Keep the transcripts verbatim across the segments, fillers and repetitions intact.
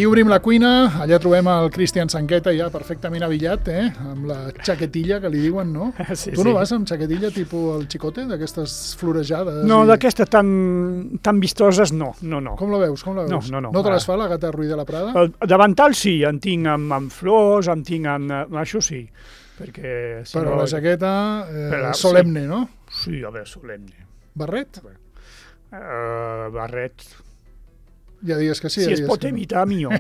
I obrim la cuina, allà trobem el Cristian Sanqueta ja perfectament avillat, eh? Amb la xaquetilla que li diuen, no? Sí, tu no sí. vas amb xaquetilla tipus el Chicote, d'aquestes florejades? No, i... d'aquestes tan, tan vistoses no, no, no. Com la veus? Com la veus? No, no, no. No te les fa la gata Ruiz de la Prada? El davantal sí, en tinc amb, amb flors, en tinc amb... Això sí, perquè... Si Però no... la jaqueta eh, Per la- solemne, no? Sí, a veure, solemne. Barret? Uh, barret... Ja digues que sí. Si ja es digues pot que no. evitar, millor.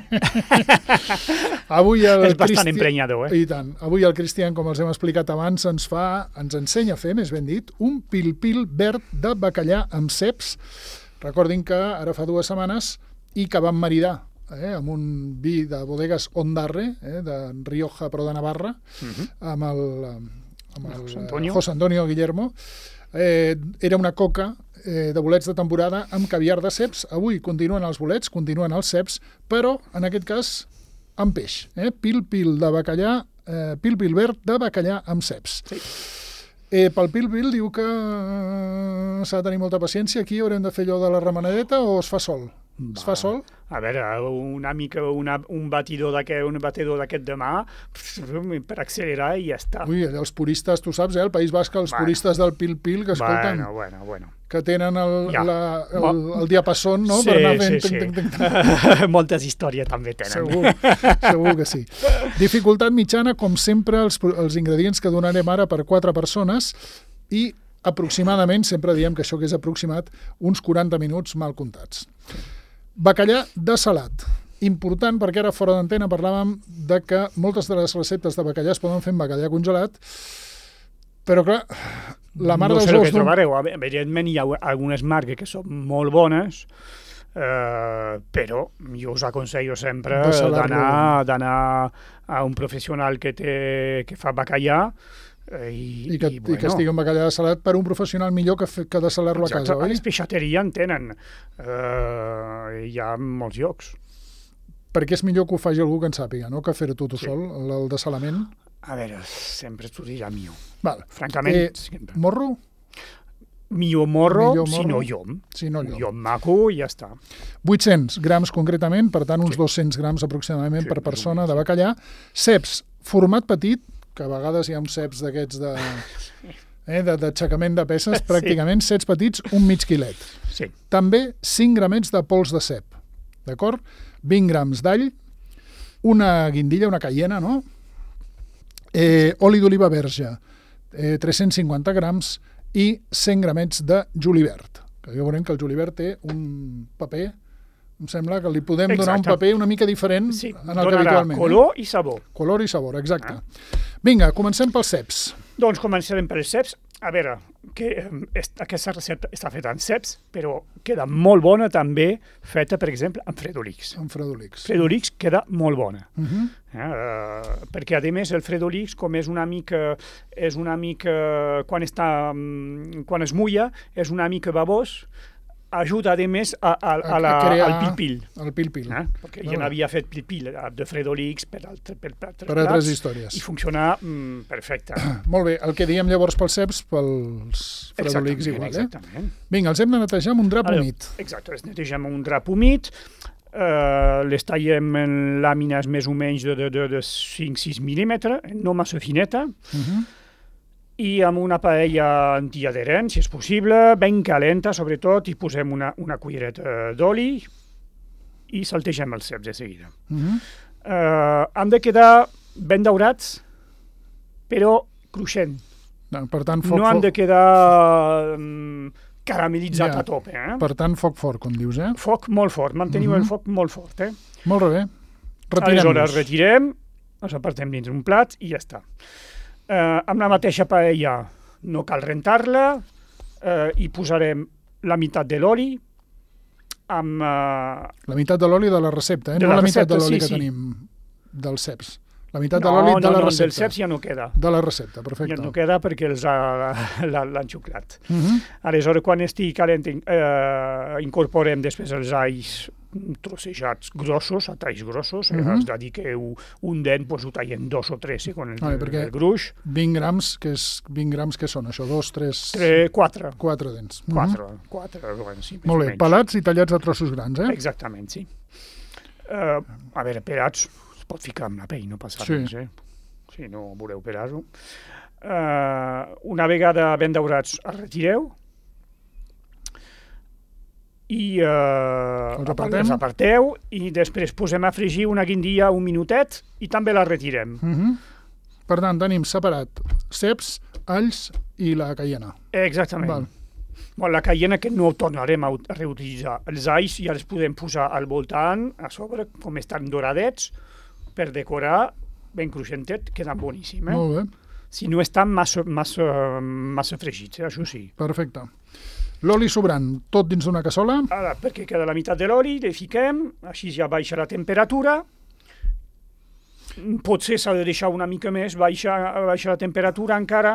Avui el És bastant Cristi- emprenyador, eh? I tant. Avui el Cristian, com els hem explicat abans, ens fa, ens ensenya a fer, més ben dit, un pil-pil verd de bacallà amb ceps. Recordin que ara fa dues setmanes i que vam maridar eh, amb un vi de bodegues Ondarre, eh, de Rioja, però de Navarra, Uh-huh. amb el, amb el José eh, Antonio. José Antonio Guillermo. Eh, era una coca eh, de bolets de temporada amb caviar de ceps. Avui continuen els bolets, continuen els ceps, però en aquest cas amb peix. Eh? Pil-pil de bacallà, eh, pil-pil verd de bacallà amb ceps. Sí. Eh, pel pil-pil diu que eh, s'ha de tenir molta paciència. Aquí haurem de fer allò de la remenadeta o es fa sol? Es fa sol? A veure, una mica, una, un batidor d'aquest un batidor d'aquest de mà per accelerar i ja està. Ui, els puristes, tu saps, eh? El País Basc, els Bueno. puristes del pil-pil que escolten, Bueno, bueno, bueno. que tenen el, Ja. la, el, el diapasón, no? Sí, per anar fent... sí, sí. Ting, ting, ting, ting. Moltes històries també tenen. Segur, segur que sí. Dificultat mitjana, com sempre, els, els ingredients que donarem ara per quatre persones i aproximadament, sempre diem que això que és aproximat, uns quaranta minuts mal comptats. Bacallà de salat. Important, perquè ara fora d'antena parlàvem de que moltes de les receptes de bacallà es poden fer amb bacallà congelat, però clar, la mare no dels sé el ous que d'un... trobareu. Evidentment hi ha algunes marques que són molt bones, eh, però jo us aconsello sempre De salar-lo. d'anar d'anar a un professional que, té, que fa bacallà eh, i, I que, i, i que estigui un bacallà de salat per un professional millor que, fe, que de salar-lo a Exacte, casa, a oi? les peixateries en tenen. Eh, hi ha molts llocs. Perquè és millor que ho faci algú que en sàpiga, no? Que fer-ho tu, tu Sí. sol, el, el dessalament. A veure, sempre t'ho dirà millor. Val. Francament, Eh, sempre. Morro? Millor morro, millor si morro, no llom. Si no llom. Llom maco i ja està. vuit-cents grams concretament, per tant uns Sí. dos-cents grams aproximadament Sí, per més o persona menys. de bacallà. Ceps, format petit, que a vegades hi ha uns ceps d'aquests de... Eh, de- d'aixecament de peces, Sí. pràcticament ceps petits, un mig quilet. Sí. També cinc gramets de pols de cep, d'acord? vint grams d'all, una guindilla, una caiena, no? Eh, oli d'oliva verge, eh, tres-cents cinquanta grams i cent gramets de julivert. Que ja veurem que el julivert té un paper, em sembla que li podem donar un Exacte. paper una mica diferent Sí, en el que donarà habitualment. color i sabor. Eh? Color i sabor, exacte. Vinga, comencem pels ceps. Doncs començarem per els ceps. A veure, que eh, est- aquesta recepta està feta en ceps, però queda molt bona també feta, per exemple, amb fredolix. Amb fredolix. Fredolix queda molt bona. Uh -huh. Eh, perquè a més el fredolix, com és una mica és una mica quan està mm, quan es mulla, és una mica babós, ajuda a més a, a, a la, A crear al pil-pil. El pil-pil. Eh? Perquè Molt ja bé. n'havia fet pil-pil eh, de fredolix per, altre, per, per altres Per altres plats històries. i funciona mm, perfecte. Molt bé, el que diem llavors pels ceps, pels fredolix igual, eh? Exactament. Vinga, els hem de netejar amb un drap Ara, humit. Exacte, les netegem amb un drap humit, eh, les tallem en làmines més o menys de, de, de, de cinc sis mil·límetres, no massa fineta, Uh -huh. i amb una paella antiadherent, si és possible, ben calenta, sobretot, i posem una, una cullereta d'oli i saltegem els ceps de seguida. Uh -huh. Eh, han de quedar ben daurats, però cruixent. No, per tant, foc, No han foc, de quedar mm, caramelitzat Ja. a tope. Eh? per tant, foc fort, com dius, eh? Foc molt fort, manteniu Mhm. el foc molt fort. Eh? Molt bé. Aleshores, Retirem-los. retirem, els apartem dins un plat i ja està. Eh, amb la mateixa paella no cal rentar-la, eh, hi posarem la meitat de l'oli, amb... Eh, La meitat de l'oli de la recepta, eh? De no la la meitat recepta, de l'oli sí, que sí. tenim dels ceps. La meitat no, de l'oli no, de la no, recepta. del ceps ja no queda. De la recepta, Ja perfecte. no queda perquè els ha- la- l'han xuclat. Uh -huh. Aleshores, quan estigui calent, eh, incorporem després els alls trossejats grossos, a talls grossos, uh Mhm. -huh. És a dir, que un, un dent pues, ho tallem dos o tres, segons el, Vale, perquè- el gruix. vint grams, que és vint grams, que són això? Dos, tres, Tres, quatre. quatre dents. Uh -huh. Quatre, quatre, bueno, sí, més Molt o bé, menys. pelats i tallats a trossos grans, eh? Exactament, sí. Uh, a veure, pelats es pot ficar amb la pell, no passa Sí. res, eh? Si no voleu pelar-ho. Uh, una vegada ben daurats, els retireu i uh, Els apartem. els aparteu i després posem a fregir una guindia un minutet i també la retirem. Uh -huh. Per tant, tenim separat ceps, alls i la caiena. Exactament. Val. Bueno, la caiena que no tornarem a ut- a reutilitzar. Els alls ja els podem posar al voltant, a sobre, com estan doradets, per decorar, ben cruixentet, queden boníssim. Eh? Molt bé, Si no estan massa, massa, massa fregits, eh? Això sí. perfecte. L'oli sobrant, tot dins d'una cassola. Ara, perquè queda la meitat de l'oli, li fiquem, així ja baixa la temperatura. Potser s'ha de deixar una mica més, baixa, baixa la temperatura encara,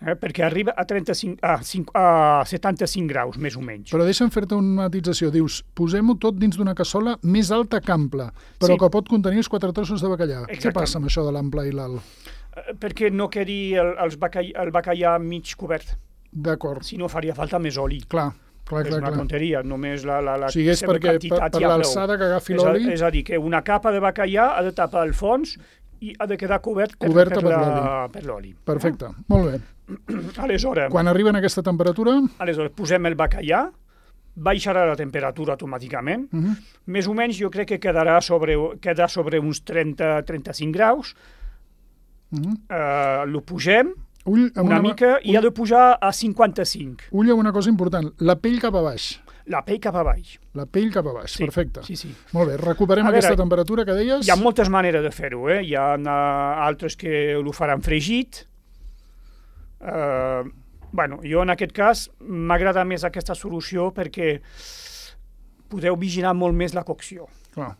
eh? perquè arriba a, trenta-cinc, a, cinc, a setanta-cinc graus, més o menys. Però deixa'm fer-te una matització. Dius, posem-ho tot dins d'una cassola més alta que ampla, però Sí. que pot contenir els quatre trossos de bacallà. Què Exactament. passa amb això de l'ample i l'alt? Eh, perquè no quedi el, els bacall, el bacallà mig cobert, D'acord, si no faria falta més oli. clar, clar, És clar. una clar. tonteria, només la, la, la O sigui, és seva perquè per, quantitat per ja prou. l'alçada que agafi És a, l'oli, és a dir, que una capa de bacallà ha de tapar el fons i ha de quedar cobert per, Coberta per, per la, per l'oli. perfecte, molt bé. Aleshores, Quan arriben a aquesta temperatura, aleshores, posem el bacallà, baixarà la temperatura automàticament, uh -huh. més o menys jo crec que quedarà sobre, quedarà sobre uns trenta a trenta-cinc graus, Uh -huh. eh, lo pugem ull, amb una, una mica i ha de pujar a cinquanta-cinc. ull amb una cosa important, la pell cap a baix. La pell cap a baix. La pell cap a baix, Sí, perfecte. Sí, sí. Molt bé, recuperem A aquesta veure, temperatura que deies. Hi ha moltes maneres de fer-ho, eh? Hi ha uh, altres que ho faran fregit. Uh, bueno, jo en aquest cas m'agrada més aquesta solució perquè podeu vigilar molt més la cocció. Clar.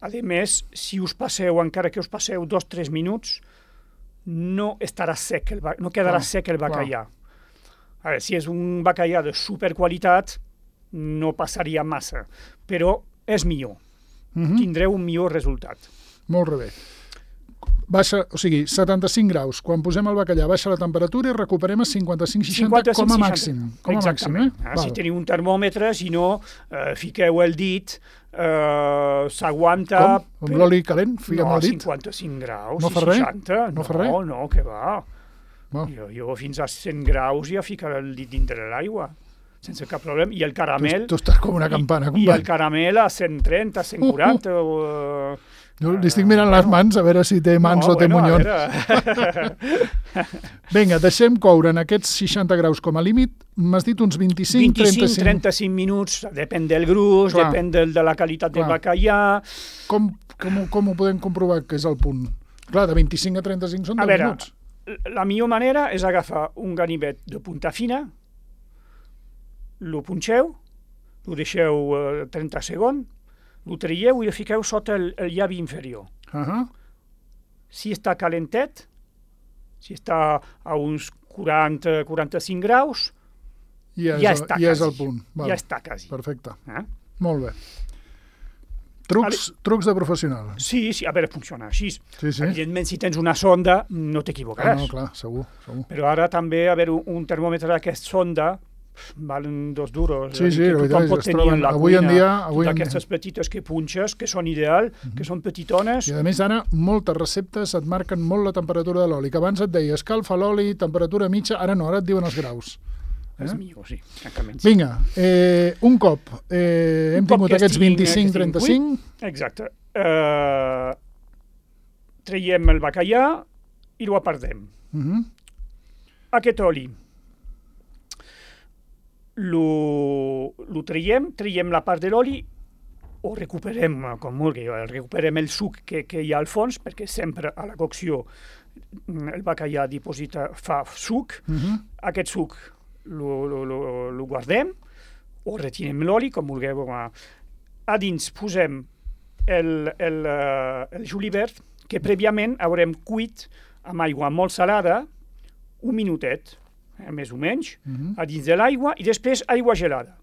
A més, si us passeu, encara que us passeu dos o tres minuts, no estarà sec, el, ba- no quedarà Clar, sec el bacallà. A veure, si és un bacallà de superqualitat, no passaria massa, però és millor. Uh -huh. Tindreu un millor resultat. Molt bé. Baixa, o sigui, setanta-cinc graus. Quan posem el bacallà baixa la temperatura i recuperem a cinquanta-cinc seixanta com a màxim. Com a màxim, eh? Ah, si teniu un termòmetre, si no, eh, fiqueu el dit, eh, s'aguanta... Com? Amb l'oli calent? Fiquem no, el dit? cinquanta-cinc graus No i fa res? seixanta. No fa res? No, no, que va. Val. Jo, jo fins a cent graus ja ficaré el dit dintre de l'aigua, sense cap problema. I el caramel... Tu, tu estàs com una campana, I, i company. el caramel a cent trenta, cent quaranta... o, eh, Jo li estic mirant les mans a veure si té mans no, o té bueno, a munyons. veure. Vinga, deixem coure en aquests seixanta graus com a límit. M'has dit uns vint-i-cinc, vint-i-cinc trenta-cinc. trenta-cinc minuts, depèn del gruix, Clar. depèn del, de la qualitat del Clar. bacallà. Com, com, ho- com ho podem comprovar que és el punt? Clar, de vint-i-cinc a trenta-cinc són A deu veure, minuts. la millor manera és agafar un ganivet de punta fina, lo punxeu, lo deixeu eh, trenta segons, lo traieu i lo fiqueu sota el, el llavi inferior. Uh -huh. Si està calentet, si està a uns quaranta a quaranta-cinc graus, Ja, és, ja el- està ja és quasi. el punt. Val. ja està quasi. Perfecte. Eh? Molt bé. Trucs, trucs de professional. Sí, sí, a veure, funciona així. Sí, sí. Evidentment, si tens una sonda, no Ah, t'equivocaràs. no, clar, segur, segur. Però ara també, a veure, un, un termòmetre d'aquesta sonda valen dos duros. Sí, sí, que la veritat tothom és pot que es tenir troben en la avui en cuina, dia- avui en dia. d'aquestes petites que punxes, que són ideal, que són petitones. I a més ara moltes receptes et marquen molt la temperatura de l'oli, que abans et deia escalfa l'oli, temperatura mitja, ara no, ara et diuen els graus. És Eh? millor, sí, francament. Vinga, eh, un cop eh, hem Un cop tingut que aquests estiguin- vint-i-cinc que estiguin trenta-cinc, Exacte. Uh, traiem el bacallà i ho apartem. uh -huh. Aquest oli lo, lo traiem, traiem la part de l'oli o recuperem, com vulgui, recuperem el suc que, que hi ha al fons, perquè sempre a la cocció el bacallà diposita, fa suc. Uh -huh. Aquest suc lo, lo, lo, lo guardem o retirem l'oli, com vulgueu. A dins posem el, el, eh, el julivert, que prèviament haurem cuit amb aigua molt salada un minutet, eh, més o menys, Uh -huh. a dins de l'aigua, i després aigua gelada.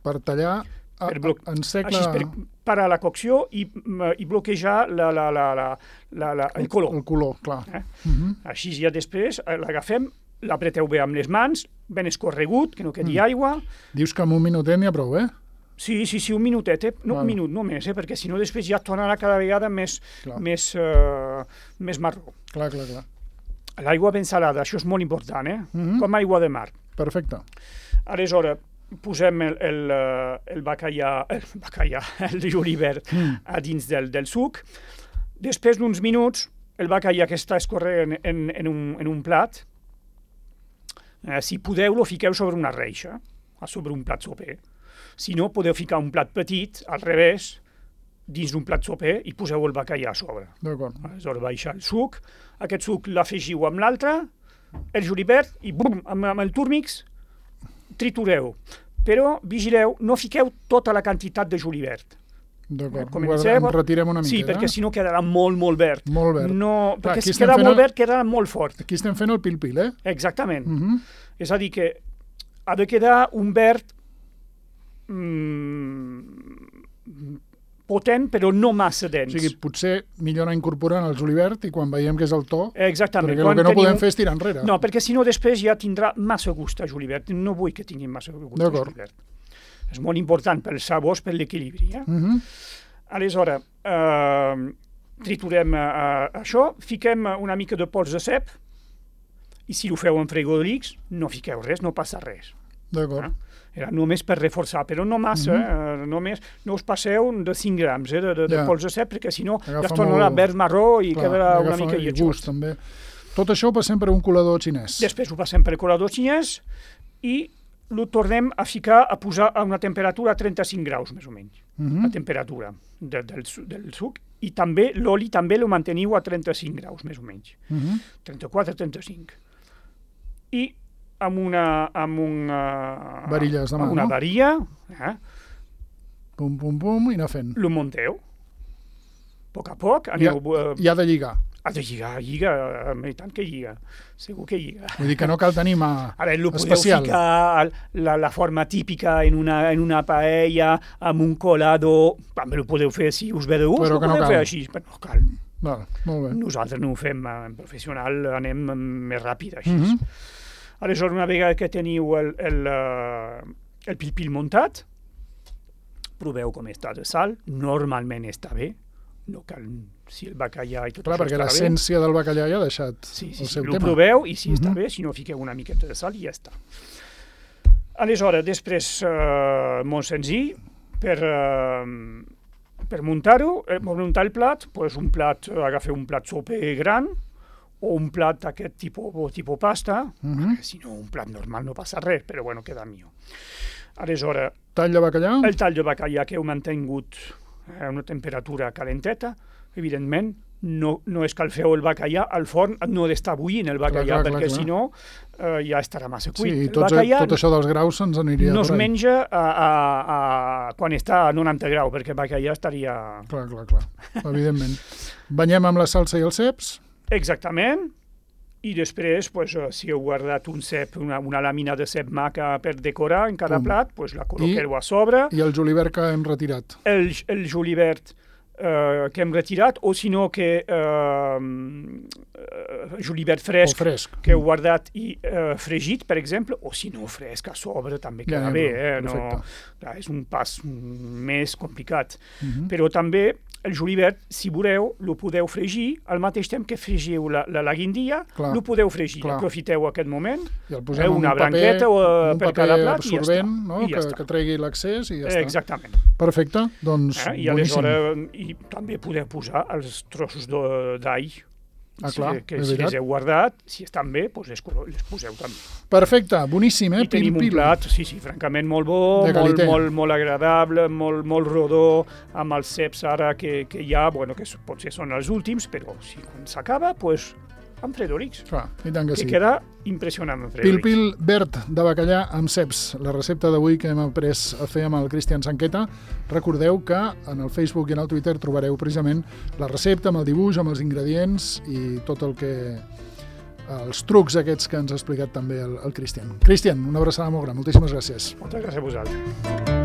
Per tallar a, Per blo- a, en sec Així, la, per parar la cocció i, mm, i bloquejar la, la, la, la, la, la, el color. el color, clar. Eh? Uh -huh. Així ja després eh, l'agafem, l'apreteu bé amb les mans, ben escorregut, que no quedi Mm. aigua. Dius que amb un minutet n'hi ha prou, eh? Sí, sí, sí, un minutet, eh? No, Val. un minut, no més, eh? Perquè si no després ja tornarà cada vegada més, Clar. més, uh, més marró. Clar, clar, clar. L'aigua ben salada, això és molt important, eh? Mhm. Com aigua de mar. Perfecte. Aleshores, posem el, el, eh, el bacallà, el bacallà, el julivert Mm. a dins del, del suc. Després d'uns minuts, el bacallà que està escorrent en, en, un, en un plat, eh, si podeu, lo fiqueu sobre una reixa, a sobre un plat soper. Si no, podeu ficar un plat petit, al revés, dins d'un plat soper i poseu el bacallà a sobre. D'acord. Aleshores, baixa el suc, aquest suc l'afegiu amb l'altre, el julivert, i bum, amb, amb el turmix, tritureu. Però vigileu, no fiqueu tota la quantitat de julivert. D'acord. Comenceu. En retirem una mica. Sí, perquè si no quedarà molt, molt verd. Molt verd. No, Clar, perquè aquí si estem queda fent molt el- verd, quedarà molt fort. Aquí estem fent el pil-pil, eh? Exactament. Mhm. És a dir, que ha de quedar un verd mm, potent, però no massa O dens. sigui, potser millor anar incorporant el julivert i quan veiem que és el to, Exactament. perquè el Quan que no teniu- podem fer és tirar enrere. No, perquè si no després ja tindrà massa gust a julivert. No vull que tinguin massa gust a D'acord. julivert. És molt important pels sabors, per l'equilibri. Eh? Mhm. Aleshores, eh, triturem eh, això, fiquem una mica de pols de cep, i si ho feu en frigorífics, no fiqueu res, no passa res. D'acord. Ah. Era només per reforçar, però no massa, eh? només no us passeu de cinc grams eh, de, de, de Ja. pols de cep, perquè si no ja Agafa es tornarà molt- verd marró i Clar, quedarà una agafa mica i lletjós. gust, també. Tot això ho passem per un colador xinès. Després ho passem per el colador xinès i lo tornem a ficar, a posar a una temperatura a trenta-cinc graus, més o menys, Mhm. la temperatura de, del, su- del suc. I també l'oli també lo manteniu a trenta-cinc graus, més o menys, Mhm. trenta-quatre a trenta-cinc. I amb una... Amb una Varilles de mà, amb una no? varilla, eh, Pum, pum, pum, i anar fent. lo munteu. A poc a poc, I ha, aneu... eh, I ha de lligar. ha de lligar, lliga, eh, i tant que lliga, segur que lliga. Vull dir que no cal tenir mà Ara, lo podeu especial. ficar al- la, la forma típica en una, en una paella, amb un colado, també ho podeu fer si us ve de gust, Però ho que no podeu cal. fer així, però no cal. Val, molt bé. Nosaltres no ho fem eh, en professional, anem eh, més ràpid així. Mhm. Aleshores, una vegada que teniu el, el, eh, el pil-pil muntat, proveu com està de sal, normalment està bé, no cal, si el bacallà i tot Clar, això perquè està bé. l'essència del bacallà ja ha deixat Sí, sí, el sí, seu ho tema. proveu i si està Mhm. bé, si no fiqueu una miqueta de sal i ja està. Aleshores, després, eh, molt senzill, per, eh, per muntar-ho, eh, per muntar el plat, pues un plat, eh, agafeu un plat soper gran o un plat d'aquest tipus, tipus pasta, Mhm. si no un plat normal no passa res, però bueno, queda millor. Aleshores, Tall de bacallà? el tall de bacallà que heu mantingut a una temperatura calenteta, evidentment, no, no escalfeu el bacallà al forn, no ha d'estar bullint el bacallà, Clar, clar, perquè clar, si no eh, ja estarà massa Sí, cuit. i el tot, bacallà tot això dels graus se'ns aniria no es per ahí. menja a, a, a, quan està a noranta graus, perquè el bacallà estaria... Clar, clar, clar, evidentment. Banyem amb la salsa i els ceps? Exactament, i després, pues, eh, si heu guardat un cep, una, una làmina de cep maca per decorar en cada Pum. plat, pues, la col·loqueu a sobre, I el julivert que hem retirat. el, el julivert eh, que hem retirat, o si no que eh, eh, julivert O fresc, fresc. que heu guardat i eh, fregit, per exemple, o si no fresc a sobre també Ja, queda ja, bé, però, eh? no, perfecte. clar, és un pas més complicat. Mhm. Però també el julivert, si voleu, lo podeu fregir al mateix temps que fregiu la, la, la guindia, Clar, lo podeu fregir. clar. Aprofiteu aquest moment, I el eh, posem en un una paper, branqueta o, eh, un per paper cada plat i ja absorbent, està. no? I ja que, està. que tregui l'accés i ja està. Exactament. Perfecte, doncs Eh? I boníssim. aleshores i també podeu posar els trossos de- d'all. Ah, Si- clar, que és si veritat. les heu guardat, si estan bé, doncs les, colo- les poseu també. Perfecte, boníssim, eh? I tenim un Pil-pil. plat, sí, sí, francament molt bo, De molt, qualitat. molt, molt agradable, molt, molt rodó, amb els ceps ara que, que hi ha, bueno, que potser són els últims, però si quan s'acaba, doncs amb fredolics, Clar, i tant que que sí. queda impressionant amb fredolics. Pil-pil verd de bacallà amb ceps, la recepta d'avui que hem après a fer amb el Cristian Sanqueta. Recordeu que en el Facebook i en el Twitter trobareu precisament la recepta amb el dibuix, amb els ingredients i tot el que... els trucs aquests que ens ha explicat també el, el Cristian. Cristian, una abraçada molt gran, moltíssimes gràcies. Moltes gràcies a vosaltres.